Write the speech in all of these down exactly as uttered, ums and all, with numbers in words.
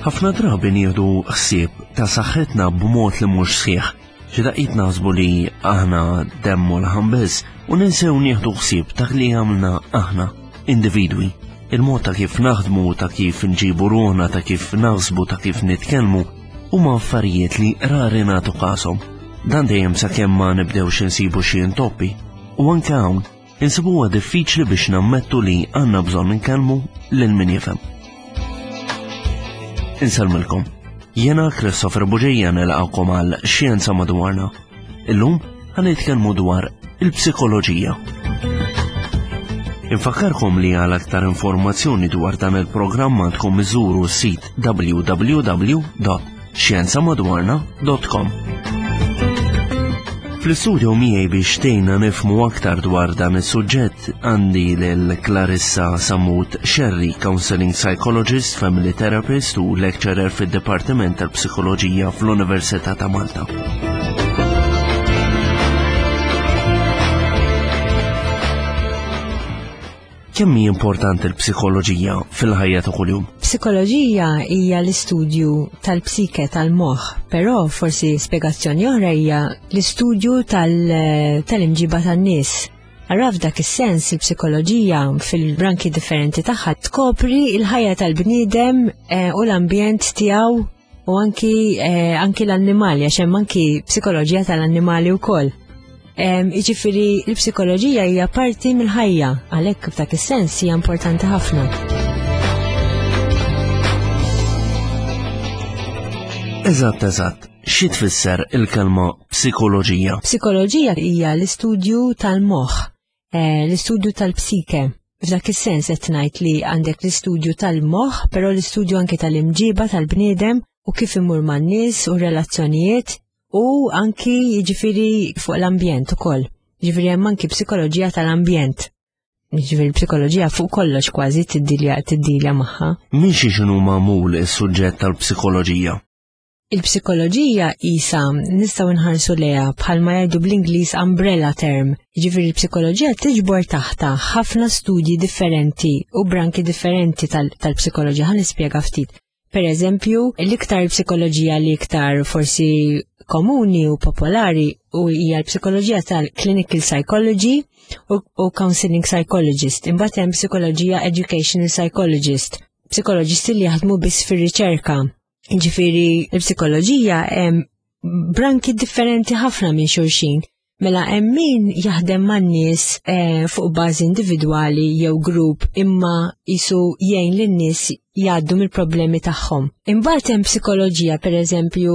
Ħafna drabi nieħdu ħsieb ta' saħħitna b'mod li mhux sħiħ. Xi daqqiet naħsbu li aħna demm u laħam biss u ninsew nieħdu ħsieb ta' li għamilna aħna, individwi. Il-mod ta' kif naħdmu, ta' kif nġibu ruħna, ta' kif naħsbu, ta' kif nitkellmu, huma affarijiet li rari nagħtu kashom. Dan dejjem sakemm ma nibdewx insibu xi intoppi. U anke hawn, insibuha diffiċli biex nammettu li għandna bżonn inkellmu lil min jifhem. Insellmilkom. Jiena Christopher Bugeja nilqagħkom għal Xjenza Madwarna. Illum ħa nitkellmu dwar il-psikoloġija. Infakkarkom li għal aktar informazzjoni dwar dan il-programm għandkom iżuru s-sit w w w punt xjenzamadwarna punt com. Fl-istudio miegħi biex tgħinna nifhmu aktar dwar dan is-suġġett għandi lil Clarissa Samut Sherry, counseling psychologist, family therapist u lecturer fid-Dipartiment tal-Psikoloġija fl-Università ta' Malta. Kemm hi importanti l-psikoloġija fil-ħajja ta' kuljum? Psikoloġija hija l-istudju tal-psike, tal-moħħ, però forsi spjegazzjoni oħra hija l-istudju tal-imġiba tan-nies. Ara, f'dak is-sens il-psikoloġija fil-branki differenti tagħha tkopri il-ħajja tal-bniedem eh, u l-ambjent tiegħu u anki, eh, anki l-annimali, għax hemm anki psikoloġija tal-annimali wkoll. Jiġifieri l-psikoloġija hija parti mill-ħajja, għalhekk f'dak is-sens hija importanti ħafna. Eżatt, eżatt. Xi tfisser il-kelma psikoloġija? Psikoloġija hija l-istudju tal-moħħ, eh, l-istudju tal-psike. F'dak is-sens qed ngħid li għandek l-istudju tal-moħħ, però l-istudju anke tal-imġiba tal-bniedem u kif imur man-nies u relazzjonijiet u anki jiġifieri fuq l-ambjent ukoll. Jiġifieri hemm anki psikoloġija tal-ambjent. Jiġifieri psikoloġija fuq kollox kważi tiddilja tiddilja magħha. Minn xi x'inhu magħmul is-suġġett tal-psikoloġija? Il-psikoloġija isa nistgħu nħarsu lejha bħalma jgħidu bl-Ingliż umbrella term. Jiġifieri l-psikoloġija tiġbor taħta ħafna studji differenti u branki differenti tal-psikoloġija. Ħa nispjega ftit. Per eżempju, l-iktar psikoloġija li iktar forsi komuni u popolari u hija l-psikoloġija tal-clinical psychology u, u counseling psychologist. Imbagħad hemm psikoloġija educational psychologist, psikoloġisti li jaħdmu biss fir-riċerka. Ġifieri l-psikoloġija hemm branki differenti ħafna minn xulxin. Mela hemm min jaħdem man-nies eh, fuq bażi individwali jew grupp, imma jisu jgħin lin-nies jgħaddu mill-problemi tagħhom. Imbagħad hemm psikoloġija, pereżempju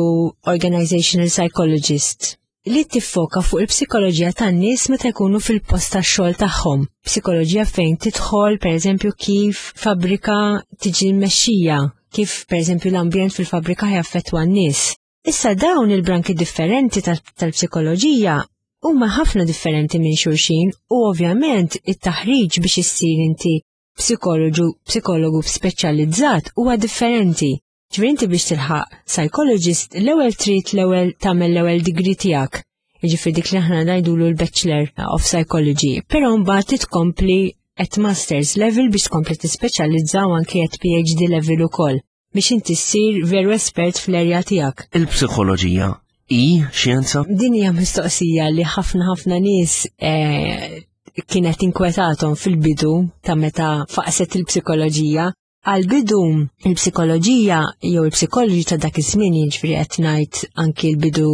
organizational psychologist, li tiffoka fuq il-psikoloġija tan-nies meta jkunu fil-post tax-xogħol tagħhom. Psikoloġija fejn tidħol, pereżempju, kif fabbrika tiġi mmexxija, kif pereżempju l-ambjent fil-fabbrika jaffettwa n-nies. Issa dawn il-branki differenti tal-psikoloġija huma ħafna differenti minn xulxin u ovvjament it-taħriġ biex issir inti psikologu, psikologu speċjalizzat huwa differenti. Ġifieri inti biex tilħaq psychologist, l-ewwel trid l-ewwel tagħmel l-ewwel degree tiegħek. Jiġifieri dik li aħna ngħidulu l-Bachelor of Psychology, però mbagħad tkompli at Masters level biex tkompli tispeċjalizza u anke at P H D level ukoll biex inti ssir veru espert fl-erja tiegħek. Il-psikoloġija hi xjenza? Din hija mistoqsija li ħafna ħafna nies eh, kienet inkwetatom fil-bidu ta' meta faqset il-psikoloġija. Għal-bidu il-psikoloġija jew il-psikoloġi ta' dak iż-żmien, jiġifieri qed ngħid anki l-bidu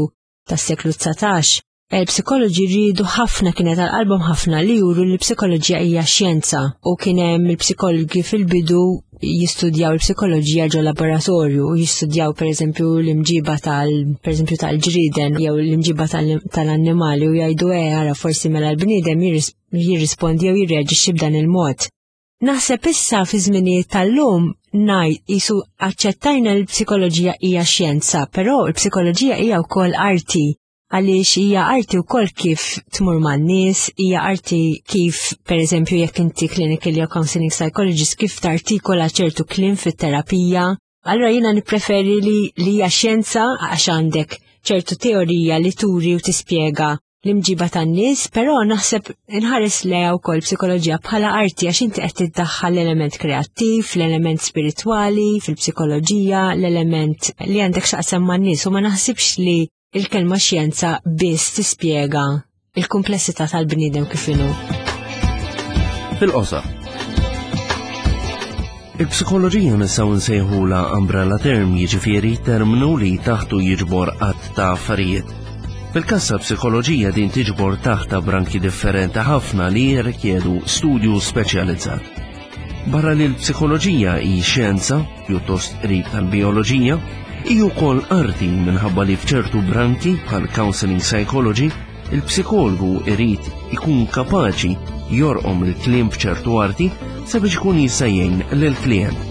tas-seklu dsatax, il-psikoloġi rridu ħafna, kienet għal qalbhom ħafna li juru li l-psikoloġija hija xjenza, u kien hemm il-psikologi fil-bidu jistudjaw il-psikoloġija ġo laboratorju u jistudjaw pereżempju l-imġiba tal pereżempju tal-ġrieden jew l-imġiba tal-annimali u jgħidu, "E ara, forsi mela l-bniedem jirrispondi jew jirreaġixxi b'dan il-mod." Naħseb issa fi żminijiet tal-lum ngħid qisu aċċettajna l-psikoloġija hija xjenza, però l-psikoloġija hija wkoll arti, għaliex hija arti wkoll kif tmur man-nies, hija arti kif, pereżempju, jekk inti clinical jew counseling psychologist, kif tartikola ċertu kliem fit-terapija. Allura jiena nippreferi li li hija xjenza għax għandek ċertu teorija li turi u tispjega l-imġiba tan-nies, però naħseb inħares lejha wkoll psikoloġija bħala arti għax inti qed tiddaħħal l-element kreattiv, l-element spiritwali fil-psikoloġija, l-element li għandek x'taqsam man-nies u ma naħsibx li il-kelma xjenza biss tispjega il-kumplessità tal-bniedem kif inhu. Fil-qosor. Il-psikoloġija nistgħu nsejħula umbrella term, jiġifieri terminu li taħtu jiġbor għadd ta' affarijiet. Fil-każ ta' psikoloġija din tiġbor taħta branki differenti ħafna li jirrikjedu studju speċjalizzat. Barra li l-psikoloġija hi xjenza, pjuttost qrib tal-bioloġija, hi wkoll arti minħabba li f'ċertu branki bħal counseling psychology, il-psikologu irid ikun kapaċi jorqom il-kliem b'ċertu arti sabiex ikun jista' jgħin lill-klient.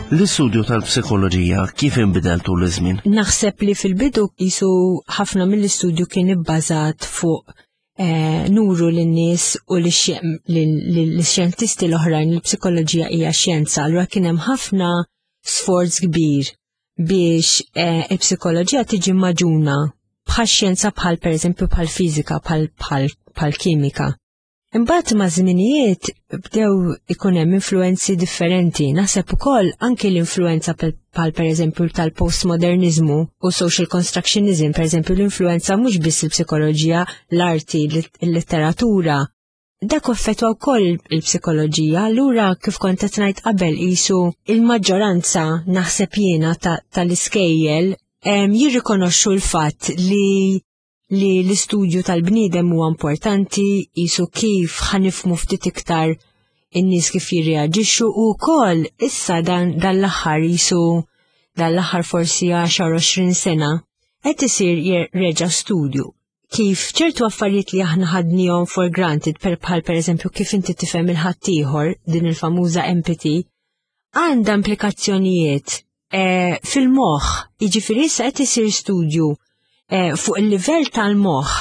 L-istudju tal-psikoloġija kif inbidel tul iż-żmien? Naħseb li fil-bidu qisu ħafna mill-istudju kien ibbażat fuq eh, nuru lin-nies u lix-xjentisti l-oħrajn li l-psikoloġija hija xjenza, allura kien hemm ħafna sforz kbir biex eh, il-psikoloġija tiġi maġuna bħal xjenza bħal pereżempju bħal fiżika, bħal kimika. Imbagħad ma' żminijiet bdew ikun hemm influenzi differenti. Naħseb ukoll anke l-influenza bħal pereżempju tal-postmodernizmu u social constructionism, pereżempju l-influenza mhux biss il-psikoloġija, l-arti, il-letteratura. Dak effettwa wkoll il-psikoloġija, allura kif kont qed ngħid qabel qisu il-maġġoranza naħseb jiena tal-iskejjel jirrikonoxxu l-fatt li li l-istudju tal-bniedem huwa importanti, qisu kif ħanifmu ftit iktar in-nies kif jirreaġixxu u wkoll issa dan l-aħħar qisu dan l-aħħar forsi għaxar għoxrin sena qed isir reġa' studju kif ċertu affarijiet li aħna ħadnihom for granted per bħal pereżempju kif inti tifhem il-ħaddieħor, din il-famuża empathy, għandha implikazzjonijiet eh, fil-moħħ, jiġifieri issa qed isir studju Eh, fuq il-livell tal-moħħ,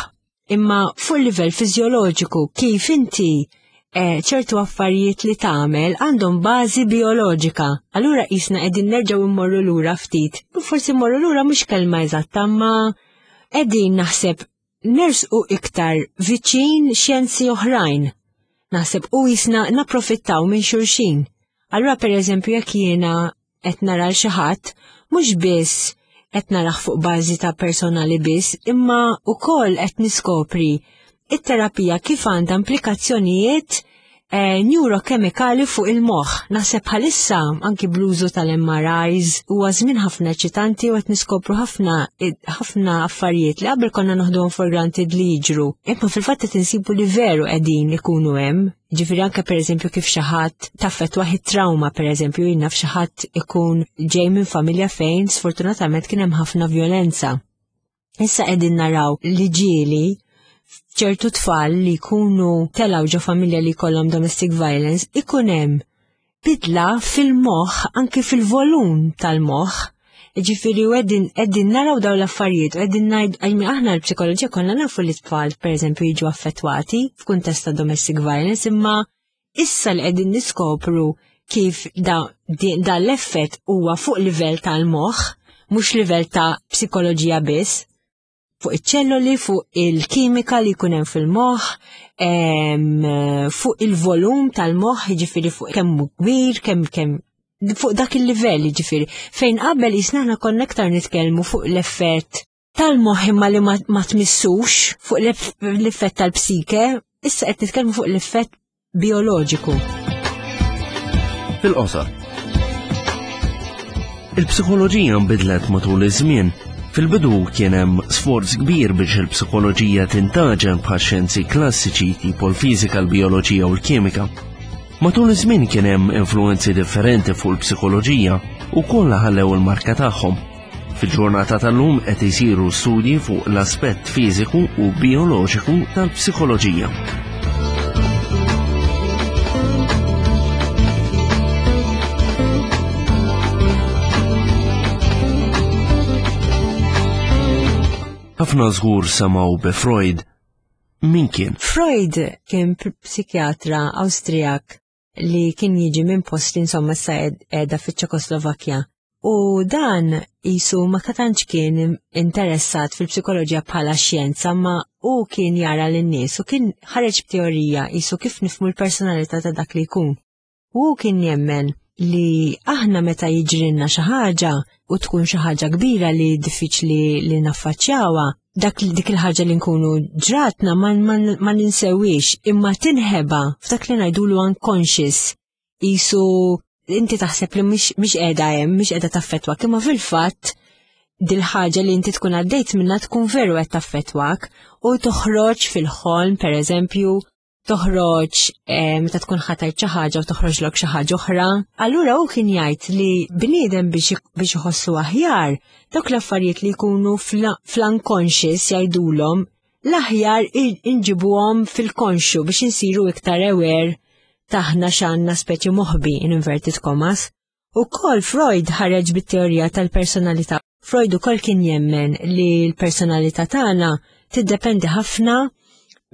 imma fuq il-livell fiżjoloġiku kif inti eh, ċertu affarijiet li tagħmel għandhom bażi bioloġika. Allura qisna qegħdin nerġgħu immorru lura ftit. Forsi mmorru lura mhux kelma eżatta, ma qegħdin naħseb nersqu iktar viċin xjenzi oħrajn. Naħseb u qisna napprofittaw minn xulxin. Allura pereżempju jekk jiena qed nara l xi ħadd, mhux biss qed naraħ fuq bażi ta' personali biss, imma wkoll qed niskopri it-terapija kif għandha implikazzjonijiet eh, neurokemikali fuq il-moħħ. Naħseb bħalissa anki bl-użu tal-M R Is huwa żmien ħafna eċitanti u qed niskopru ħafna ħafna affarijiet li qabel konna noħduhom for granted li jiġru. Imma fil-fatt qed insibu li veru qegħdin ikunu hemm. Ġifieri anke pereżempju kif xi ħadd taffettwa trauma pereżempju, jien naf xi ħadd ikun ġej minn familja fejn sfortunatament kien hemm ħafna violenza. Issa qegħdin naraw li ġieli ċertu tfal li jkunu telgħu ġo familja li jkollhom domestic violence ikun hemm bidla fil-moħħ, anke fil-volum tal-moħħ. Ġifieri u qegħdin, qegħdin naraw dawn l-affarijiet u qegħdin ngħid, għajmi aħna l-psikoloġija konna nafu li tfal pereżempju jiġu affettwati f'kuntest ta' domestic violence, imma issa li qegħdin niskopru kif da, di-, dan l-effett huwa fuq livell tal-moħħ, mhux livell ta' psikoloġija biss, fuq iċ-ċelloli, fuq il-kimika li jkun hemm fil-moħħ, em, fuq il-volum tal-moħħ, jiġifieri fuq kemm hu kbir, kemm, kemm fuq dak il-livell, jiġifieri. Fejn qabel jisna aħna konna aktar nitkellmu fuq l-effett tal-moħħ imma li ma, ma tmissux, fuq l-eff-, l-effett tal-psike, issa qed nitkellmu fuq l-effett bioloġiku. Fil-qosor. Il-psikoloġija nbidlet matul iż-żmien. Fil-bidu kien hemm sforz kbir biex il-psikoloġija tintaġen bħal xjenzi klassiċi tipo l-fiżika, l-bioloġija u l-kimika. Matul iż-żmien kien hemm influenzi differenti fuq il-psikoloġija u kollha ħallew il-marka tagħhom. Fil-ġurnata tal-lum qed isiru studji fuq l-aspett fiżiku u bioloġiku tal-psikoloġija. Ħafna żgur semgħu bi Freud. Min kien? Freud kien psikjatra Awstrijak li kien jiġi minn post li insomma issa qiegħda fiċ-Ċekoslovakkja. U dan qisu ma tantx kien interessat fil-psikoloġija bħala xjenza, ma u kien jara lin-nies u kien ħareġ b'teorija qisu kif nifhmu l-personalità ta' dak li jkun. U kien jemmen li aħna meta jiġrilna xi ħaġa u tkun xi ħaġa kbira li diffiċli li naffaċċjawha, dak dik il-ħaġa li nkunu ġratna ma, ma, ma ninsewix, imma tinħeba f'dak li ngħidulu unconscious. Qisu inti taħseb li mhix qiegħda hemm, mhix qiegħda taffettwak, imma fil-fatt dil-ħaġa li inti tkun għaddejt minna tkun veru qed taffettwak u toħroġ fil-ħolm, per eżempju, toħroġ meta tkun ħatajt xi ħaġa u toħroġlok xi ħaġa oħra. Allura hu kien jgħid li bniedem biex iħossu aħjar, dawk l-affarijiet li jkunu fl-unconscious jgħidulhom l-aħjar inġibuhom fil-konxju biex insiru iktar aware taħna x'għandna speċi moħbi in inverted commas. Ukoll Freud ħareġ bit-teorija tal-personalità. Freud ukoll kien jemmen li l-personalità tagħna tiddependi ħafna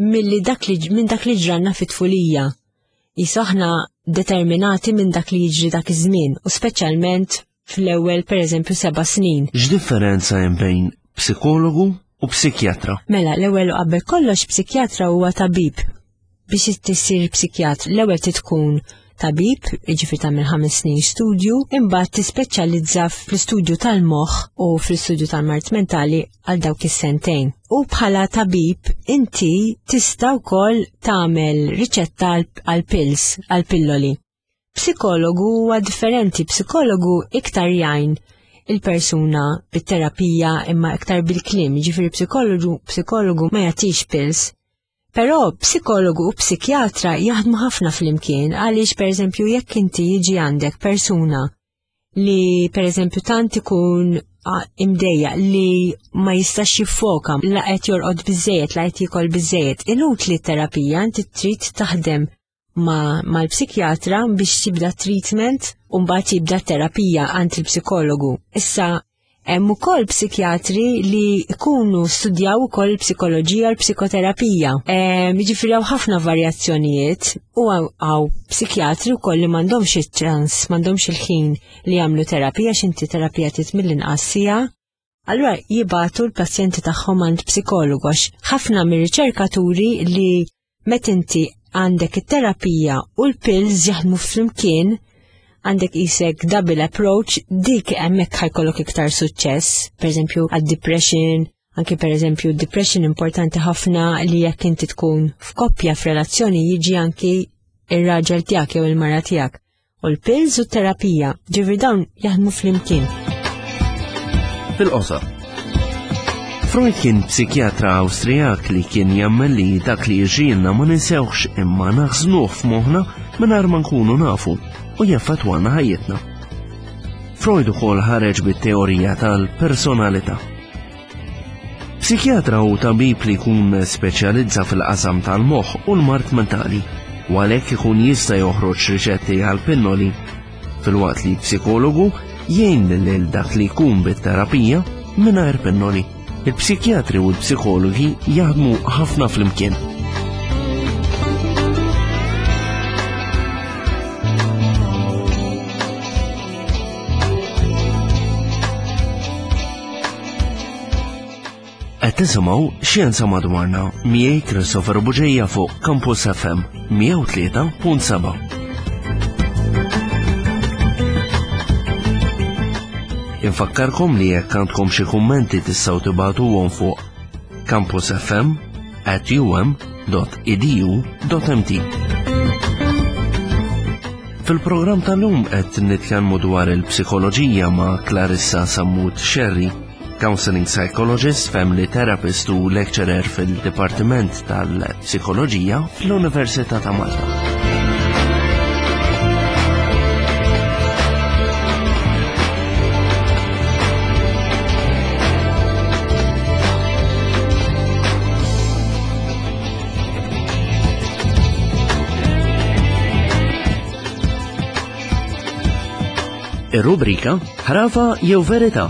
milli dak li minn dak li ġranna fit-tfulija. Qisu aħna determinati minn dak li jiġri dak iż-żmien u speċjalment fl-ewwel pereżempju seba' snin. X'differenza hemm bejn psikologu u psikjatra? Mela, l-ewwel u qabel kollox psikjatra huwa tabib. Biex tissir psikjatr, l-ewwel tkun tabib, jiġifieri tagħmel ħames snin studju, imbagħad tispeċjalizza fl-istudju tal-moħħ u fl-istudju tal-mard mentali għal dawk is-sentejn. U bħala tabib inti tista' wkoll tagħmel riċetta għal pills, għal pilloli. Psikologu huwa differenti, psikologu iktar jgħin il-persuna bit-terapija imma iktar bil-kliem, jiġifieri psikologu, psikologu ma jagħtix pills. Però psikologu u psikjatra jaħdmu ħafna flimkien għaliex pereżempju jekk inti jiġi għandek persuna li pereżempju tant ikun imdejja li ma jistax jiffoka, la qed jorqod biżejjed, la qed jiekol biżejjed, inutli t-terapija, inti trid taħdem ma mal-psikjatra biex tibda treatment u mbagħad jibda terapija għand il-psikologu. Issa hemm ukoll psikjatri li jkunu studjaw ukoll psikoloġija u l-psikoterapija. Jiġifieri hawn ħafna varjazzjonijiet u hawn psikjatri wkoll li m'għandhomx iċ-ċans, m'għandhomx il-ħin li jagħmlu terapija x'inti terapija trid mill-inqas siegħa. Allura jibagħtu l-pazjenti tagħhom għand psikologu għax ħafna mir-riċerkaturi li meta inti għandek it-terapija u l-pills jaħdmu flimkien, għandek isek double approach, dik hemmhekk ħajkollok iktar suċċess, pereżempju għad-depression, anke pereżempju depression importanti ħafna li jekk inti tkun f'koppja f'relazzjoni jiġi anki ir-raġel tiegħek jew il-mara tiegħek. U l-pills u t-terapija, ġifieri dawn jaħdmu flimkien. Fil-qosor. Freud kien psikjatra Awstrijak li kien jemmen li dak li jiġrilna ma ninsewx imma naħżnuh f'moħħna mingħajr ma nkunu nafu u jaffettwana ħajjitna. Freud ukoll ħareġ bit-teorija tal-personalità. Psikjatra hu tabib li jkun speċjalizza fil-qasam tal-moħħ u l-mard mentali, u għalhekk ikun jista' joħroġ riċetti għal pinnoli, filwaqt li psikologu jgħin lil dak li jkun bit-terapija mingħajr pinnoli. Il-psikjatri u l-psikologi jaħdmu ħafna flimkien. Qed tisimgħu Xjenza Madwarna miegħi Christopher Bugeja fuq Campus F M mija u tlieta punt seba'. Infakkarkom li jekk għandkom xi kummenti tistgħu tibagħtuhom fuq campus f m at u m dot e d u dot m t. Fil-programm tal-lum qed nitkellmu dwar il-psikoloġija ma' Clarissa Sammut Scerri, counseling psychologist, family therapist u lecturer fil-Dipartiment tal-Psikoloġija fl-Università ta' Malta. Ir-rubrika Ħrafa jew Verità.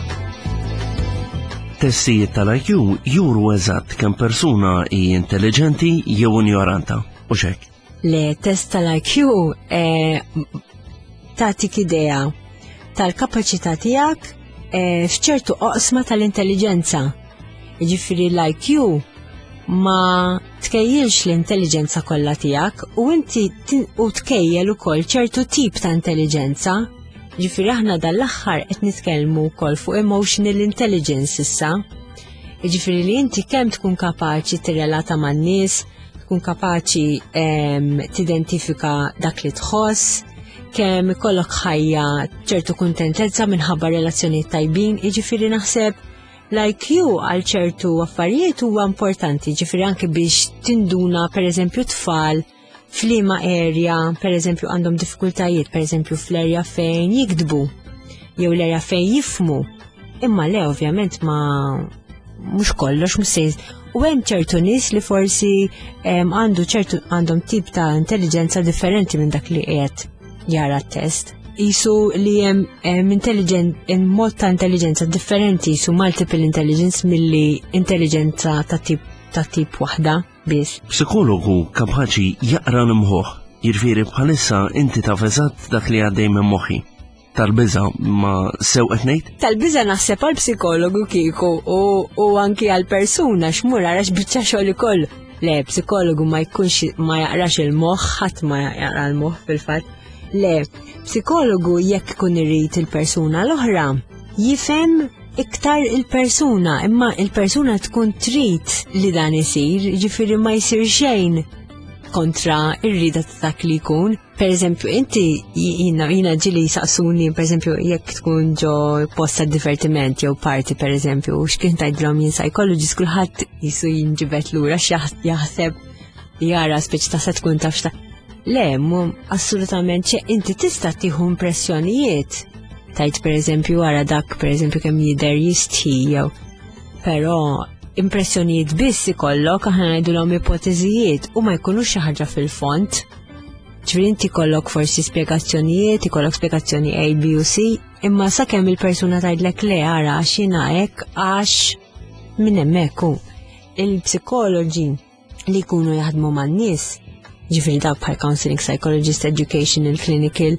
Testijiet tal-I Q juru eżatt kemm persuna hi intelligenti jew ignoranta. U xek. Le, test tal-I Q eh, tagħtik idea tal-kapaċità tiegħek eh, f'ċertu oqsma tal-intelligenza. Jiġifieri l-I Q ma tkejjilx l-intelligenza kollha tiegħek u inti u tkejjel ukoll ċertu tip ta' intelligenza. Ġifieri aħna dal-aħħar qed nitkellmu wkoll fuq emotional intelligence issa. Ġifieri li inti kemm tkun kapaċi tirrelata man-nies, tkun kapaċi tidentifika dak li tħoss, kemm ikollok ħajja ċertu kuntentezza minħabba relazzjonijiet tajbin, jiġifieri naħseb l-I Q għal ċertu affarijiet huwa importanti, ġifieri anke biex tinduna, per eżempju, tfal f'liema area, per eżempju, għandhom diffikultajiet, per eżempju fl-area fejn jiktbu, jew l-area fejn jifhmu. Imma le, ovvjament, ma mhux kollox, mhux se. U hemm ċertu nies li forsi għandu ċertu għandhom tip ta' intelligenza differenti minn dak li qiegħed jara t-test. Jisu li hemm intelligent mod ta' intelligenza differenti, jisu multiple intelligence milli intelligenza ta' tip ta' tip waħda biss. Psikologu kapaċi jaqra l-mħuħ, jiġifieri bħalissa inti taf eżatt dak li għaddej minn moħħi. Tal-biża, ma sew qed ngħid? Tal-biża naħseb għal psikologu kieku u, u anki għal persuna xmur għarax biċċa xogħol ikollu. Le, psikologu ma jkunx ma jaqrax il-moħħ, ħadd ma jaqra l-moħħ fil-fatt. Le, psikologu jekk ikun irid il-persuna l-oħra, jifhem iktar il-persuna, imma il-persuna tkun trid li dan isir, ġifieri ma jsir xejn kontra ir-rida ta' dak li jkun. Per eżempju, inti jina, jina ġieli saqsuni, per eżempju, jekk tkun ġo post ta' divertiment jew party, per eżempju, x'kien tgħidilhom jien psychologist, kulħadd jisu jinġibet lura x'jaħseb jara speċi ta' se tkun taf x'ta. Le, mu assolutament ċe inti tista' tieħu impressjonijiet. Tajt per eżempju wara dak, per eżempju, kemm jidher jistħi jew. Però impressjonijiet biss ikollok, aħna ngħidulhom ipoteżijiet, u ma jkunux xi ħaġa fil-fond. Ġifieri inti kollok forsi spjegazzjonijiet, ikollok spjegazzjoni A, B u C, imma sakemm il-persuna tgħidlek le, ara, għax jiena hekk, għax minn hemmhekk hu. Il-psikoloġi li jkunu jaħdmu man-nies, ġifieri dawk bħal counseling psychologist, educational, clinical,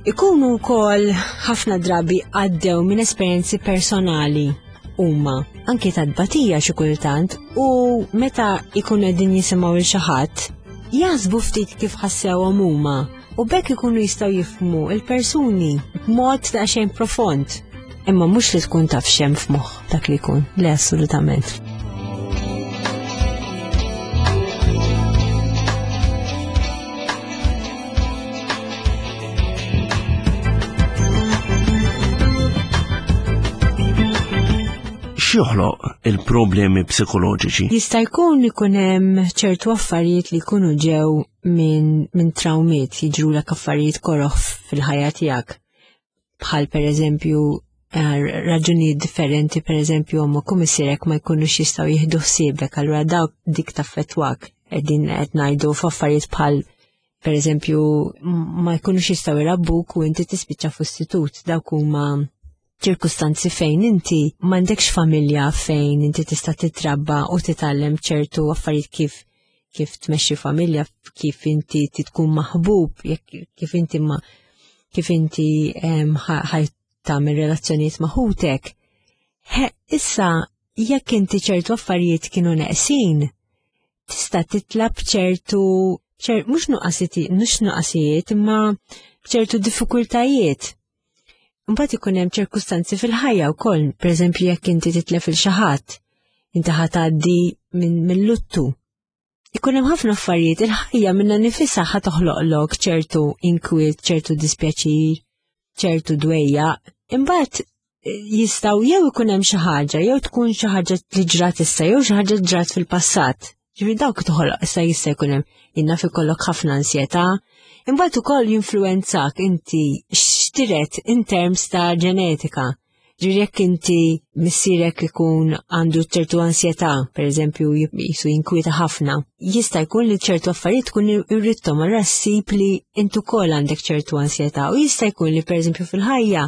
ikunu wkoll ħafna drabi għaddew minn esperjenzi personali huma anki ta' tbatija xi kultant, u meta ikunu qegħdin jisimgħu lil xi ħadd jaħsbu ftit kif ħassewhom huma u bekk ikunu jistgħu jifhmu il-persuni b'mod ta' xejn profond. Imma mhux li tkun taf x'hemm f'moħħ dak li jkun, le, assolutament. X'joħloq il-problemi psikoloġiċi? Jista' jkun ikun hemm ċertu affarijiet li jkunu ġew minn min traumiet, jiġrulek affarijiet koroh fil-ħajja tiegħek. Bħal per eżempju eh, raġunijiet differenti, per eżempju ommok u missierek ma jkunux jistgħu jieħdu ħsiebek, allura dawk dik taffettwak. Qegħdin qed ngħidu f'affarijiet bħal per eżempju ma jkunux jistgħu jrabbuk u inti tispiċċa f'istitut, dawk huma ċirkustanzi fejn inti m'għandekx familja fejn inti tista' titrabba u titgħallem ċertu affarijiet kif kif tmexxi familja, kif inti tkun maħbub, jekk kif inti ma kif inti ħaj tagħmel relazzjonijiet ma' ħutek. Issa jekk inti ċertu affarijiet kienu neqsin, tista' titlab ċertu ċer, mhux nuqqasijiet, mhux nuqqasijiet, imma ċertu diffikultajiet. Mbagħad ikun hemm ċirkustanzi fil-ħajja wkoll, pereżempju jekk inti titlef il xi ħadd, inti ħa tgħaddi minn luttu. Ikun hemm ħafna affarijiet, il-ħajja minnha nifisha ħa toħloqlok ċertu inkwiet, ċertu dispjaċir, ċertu dwejja. Imbagħad jistgħu jew ikun hemm xi ħaġa, jew tkun xi ħaġa li ġrat issa, jew xi ħaġa ġrat fil-passat. Ġifieri dawk toħloq issa jista' jkun hemm jinnaf ikollok ħafna ansjetà. Imbagħad ukoll jinfluwenzak inti x'tiret in terms ta' ġenetika. Ġifieri jekk inti missierek ikun għandu ċertu ansjetà, per eżempju jisu jinkwieta ħafna, jista' jkun li ċertu affarijiet tkun irrittom, allura ssib li inti ukoll għandek ċertu ansjetà, u jista' jkun li per eżempju fil-ħajja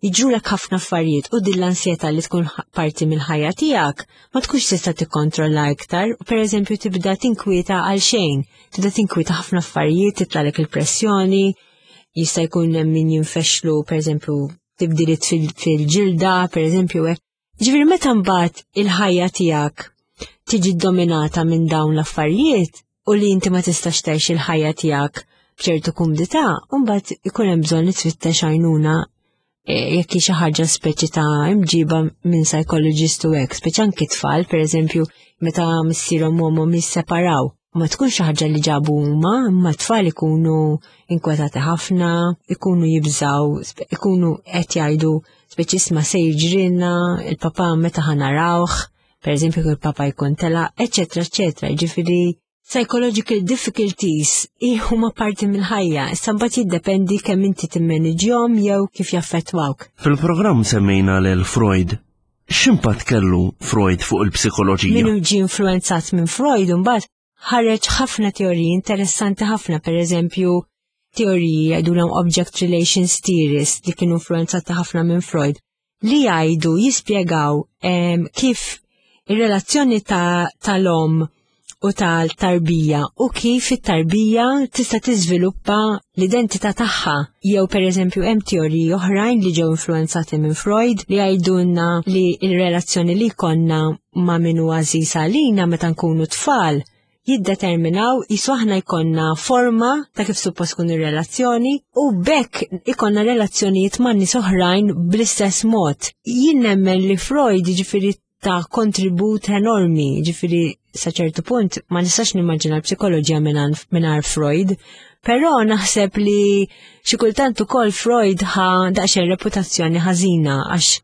Jiġrulek ħafna affarijiet u din l-ansjetà li tkun parti mill-ħajja tiegħek ma tkunx tista' tikkontrolla iktar u pereżempju tibda tinkwieta għal xejn, tibda tinkwieta ħafna affarijiet, titlalek il-pressjoni, jista' jkun hemm min jinfexlu pereżempju tibdiliet fil-ġilda, pereżempju hekk. Ġifieri meta mbagħad il-ħajja tiegħek tiġi dominata minn dawn l-affarijiet u li inti ma tistax tgħix il-ħajja tiegħek b'ċertu kumdità, mbagħad ikun hemm bżonn li tfittex għajnuna jekk hi xi ħaġa speċi ta' imġiba minn psychologist u hekk, speċi anki tfal, pereżempju, meta missierhom u ommhom jisseparaw. Ma tkun xi ħaġa li ġabu huma, imma tfal ikunu inkwetati ħafna, ikunu jibżaw, ikunu qed jgħidu speċi isma' se jiġrilna, il-papa meta ħa narawh, pereżempju il-papa jkun tela, eċetera, eċetera. Ġifieri psychological difficulties huma parti mill-ħajja, issa mbagħad jiddependi kemm inti timmaniġjhom jew kif jaffettwawk. Fil-programm semmejna lil Freud. X'impatt kellu Freud fuq il-psikoloġija? Min ġie influenzat minn Freud mbagħad ħareġ ħafna teoriji interessanti ħafna, pereżempju teoriji jgħidulhom object relations theories li kienu influenzati ħafna minn Freud, li jgħidu jispjegaw kif ir-relazzjoni tal-om u tal-tarbija u kif it-tarbija tista' tiżviluppa l-identità tagħha. Jew pereżempju hemm teoriji oħrajn li ġew influenzati minn Freud li jgħidulna li l-relazzjoni li jkollna ma' min hu għażiż għalina meta nkunu tfal jiddeterminaw jisu aħna jkollna forma ta' kif suppost tkun ir-relazzjoni u bekk ikollna relazzjonijiet ma' nies oħrajn bl-istess mod. Jien nemmen li Freud jiġifieri ta' kontribut enormi, ġifieri sa ċertu punt ma nistax nimmaġina l-psikoloġija mingħajr Freud, però naħseb li xi kultant ukoll Freud ħa daqsxejn reputazzjoni ħażina għax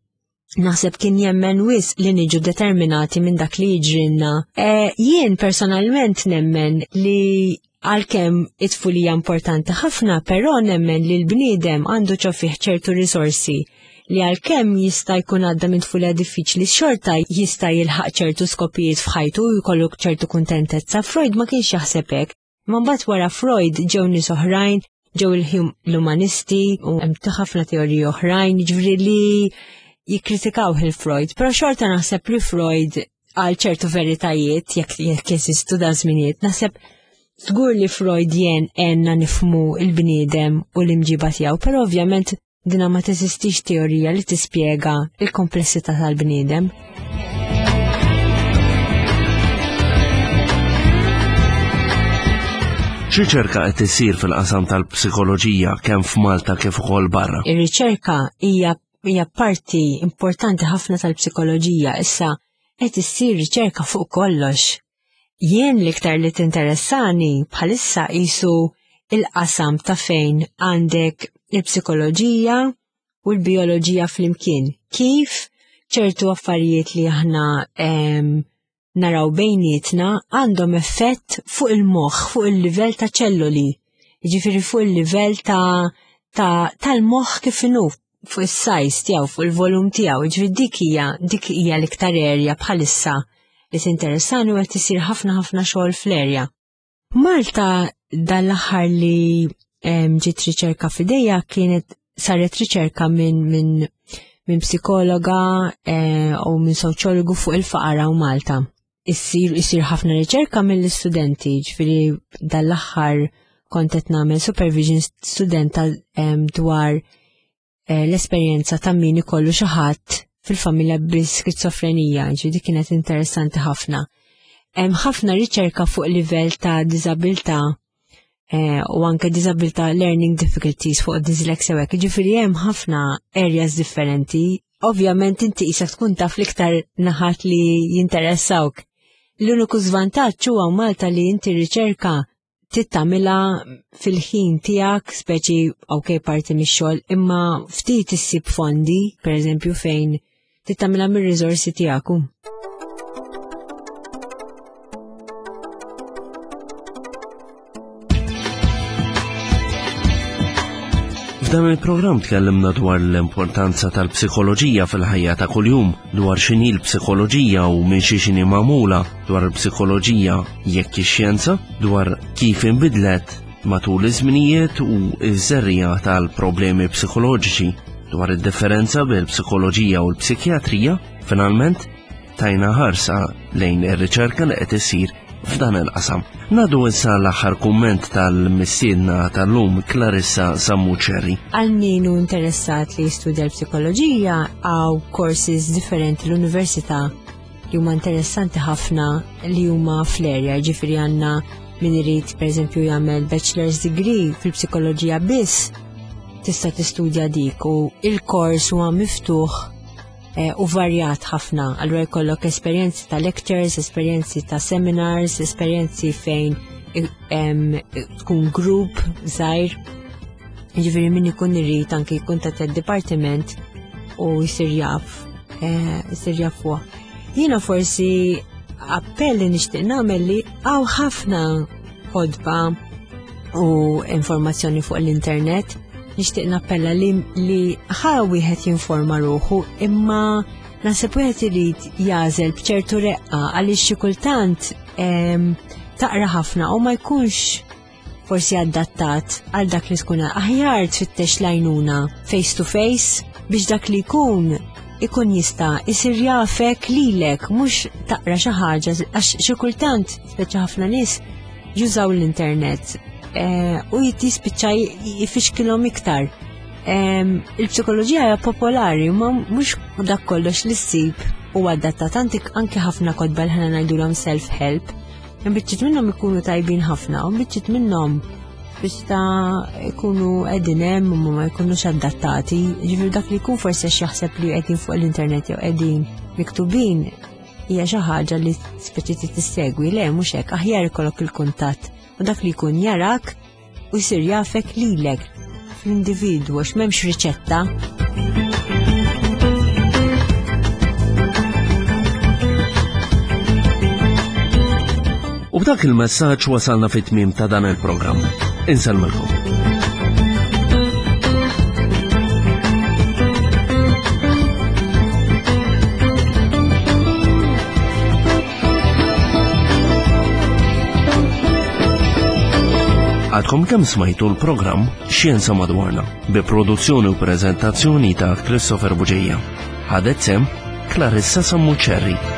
naħseb kien jemmen wisq li niġu determinati minn dak li jiġrilna. E, jien personalment nemmen li għalkemm it-tfulija importanti ħafna, però nemmen li l-bniedem għandu ġo fih ċertu risorsi li għalkemm jista' jkun għadda minn tfulija diffiċli xorta jista' jilħaq ċertu skopijiet f'ħajtu u jkollu ċertu kuntentezza. Freud ma kienx jaħseb hekk. Ma mbagħad wara Freud ġew nies oħrajn, ġew l-umanisti u hemm ħafna teoriji oħrajn, jiġifieri li jikkritikaw il-Freud, però xorta naħseb li Freud għal ċertu veritajiet jekk jekk jeżistu da żminijiet, naħseb żgur li Freud jen għenna nifhmu l-bniedem u l-imġiba tiegħu, però ovvjament dina ma teżistix teorija li tispjega il-komplessità tal-bniedem. X'riċerka qed isir fil-qasam tal-psikoloġija kemm f'Malta kif ukoll barra? Ir-riċerka hija hija parti importanti ħafna tal-psikoloġija. Issa qed issir riċerka fuq kollox. Jien l-iktar li tinteressani bħalissa qisu il-qasam ta' fejn għandek il-psikoloġija u l-bioloġija flimkien. Kif ċertu affarijiet li aħna naraw bejnietna għandhom effett fuq il-moħħ, fuq il-livell ta' ċelloli, jiġifieri fuq il-livell ta' ta' tal-moħħ kif inhu, fuq is-size tiegħu, fuq il-volum tiegħu, jiġifieri dik hija dik hija l-iktar erja bħalissa li tinteressani u qed isir ħafna ħafna xogħol fl-erja. Malta dal-aħħar li ġiet riċerka f'idejja kienet saret riċerka minn min, min psikologa u minn soċjologu fuq il-faqar u Malta. Issir issir ħafna riċerka mill-istudenti, ġifieri dal-aħħar kont qed nagħmel supervision studenta dwar l-esperjenza ta' min ikollu xi ħadd fil-familja bi skizofrenija, ġifieri dik kienet interessanti ħafna. Hemm ħafna riċerka fuq livell ta' diżabilità u anke diżabilità learning difficulties fuq dyslexia u hekk, ġifieri hemm ħafna areas differenti. Ovvjament inti qisek tkun taf l-iktar naħat li jinteressawk. L-uniku żvantaġġ huwa Malta li inti riċerka tittamilha fil-ħin tiegħek, speċi ok parti mix-xogħol, imma ftit issib fondi, pereżempju fejn tittamilha mir-riżorsi tiegħek. F'dan il-programm tkellimna dwar l-importanza tal-psikoloġija fil-ħajja ta' kuljum, dwar x'inhi l-psikoloġija u minn xi x'inhi magħmula, dwar il-psikoloġija jekk ix-xjenza, dwar kif inbidlet matul iż-żminijiet u ż-żerriegħa tal-problemi psikoloġiċi. dwar id-differenza bil-psikoloġija u l-psikjatrija, finalment tajna ħarsa lejn ir-riċerka li qed issir f'dan il-qasam. Nadu issa l-aħħar kumment tal-mistiedna tal-lum Clarissa Sammuċerri. Għal min hu interessat li jistudja l-psikoloġija għaw courses differenti l-università li huma interessanti ħafna li huma fl-area, ġifieri għandna min irid pereżempju jagħmel bachelor's degree fil-psikoloġija biss tista' tistudja dik u il-kors huwa miftuħ eh, u varjat ħafna. Allura jkollok esperjenzi ta' lectures, esperjenzi ta' seminars, esperjenzi fejn em, tkun group żgħir. Ġifieri min ikun irid anke jkun ta' dipartiment u jsir jaf, eh, jsir jaf huwa. Jiena forsi appell li nixtieq nagħmel li hawn ħafna kotba u informazzjoni fuq l-internet. Nixtieq nappella li, li ħa wieħed jinforma ruħu imma naħseb wieħed irid jagħżel b'ċertu reqqa għaliex xi kultant em, taqra ħafna u ma jkunx forsi adattat għal dak li tkun aħjar tfittex l-għajnuna face to face biex dak li jkun ikun jista' isir jafek lilek mhux taqra xi ħaġa għax xi kultant speċi ħafna nies jużaw l-internet eh, u jispiċċa jfixkilhom iktar. Em, Il-psikoloġija hija popolari ma mhux dak kollox li ssib u adattat antik anke ħafna kotba li ħana ngħidulhom self-help. Biċċiet minnhom ikunu tajbin ħafna u biċċiet minnhom biex ta' ikunu qegħdin hemm u ma jkunux adattati. Ġifieri dak li jkun forsi għax jaħseb li qegħdin fuq l-internet jew qegħdin miktubin hija xi ħaġa li speċi trid tissegwi, le mhux hekk, aħjar ikollok il-kuntatt u dak li jkun jarak u jsir jafek lilek fl-individwu għax m'hemmx riċetta. U b'dak il-messaġġ wasalna fit-tmiem ta' dan il-programm. Insellmilkom. Għadkom kemm smajtu l-programm Xjenza Madwarna bi produzzjoni u prezentazzjoni ta' Christopher Buġeja. Ħadet sem Clarissa Sammuċerri.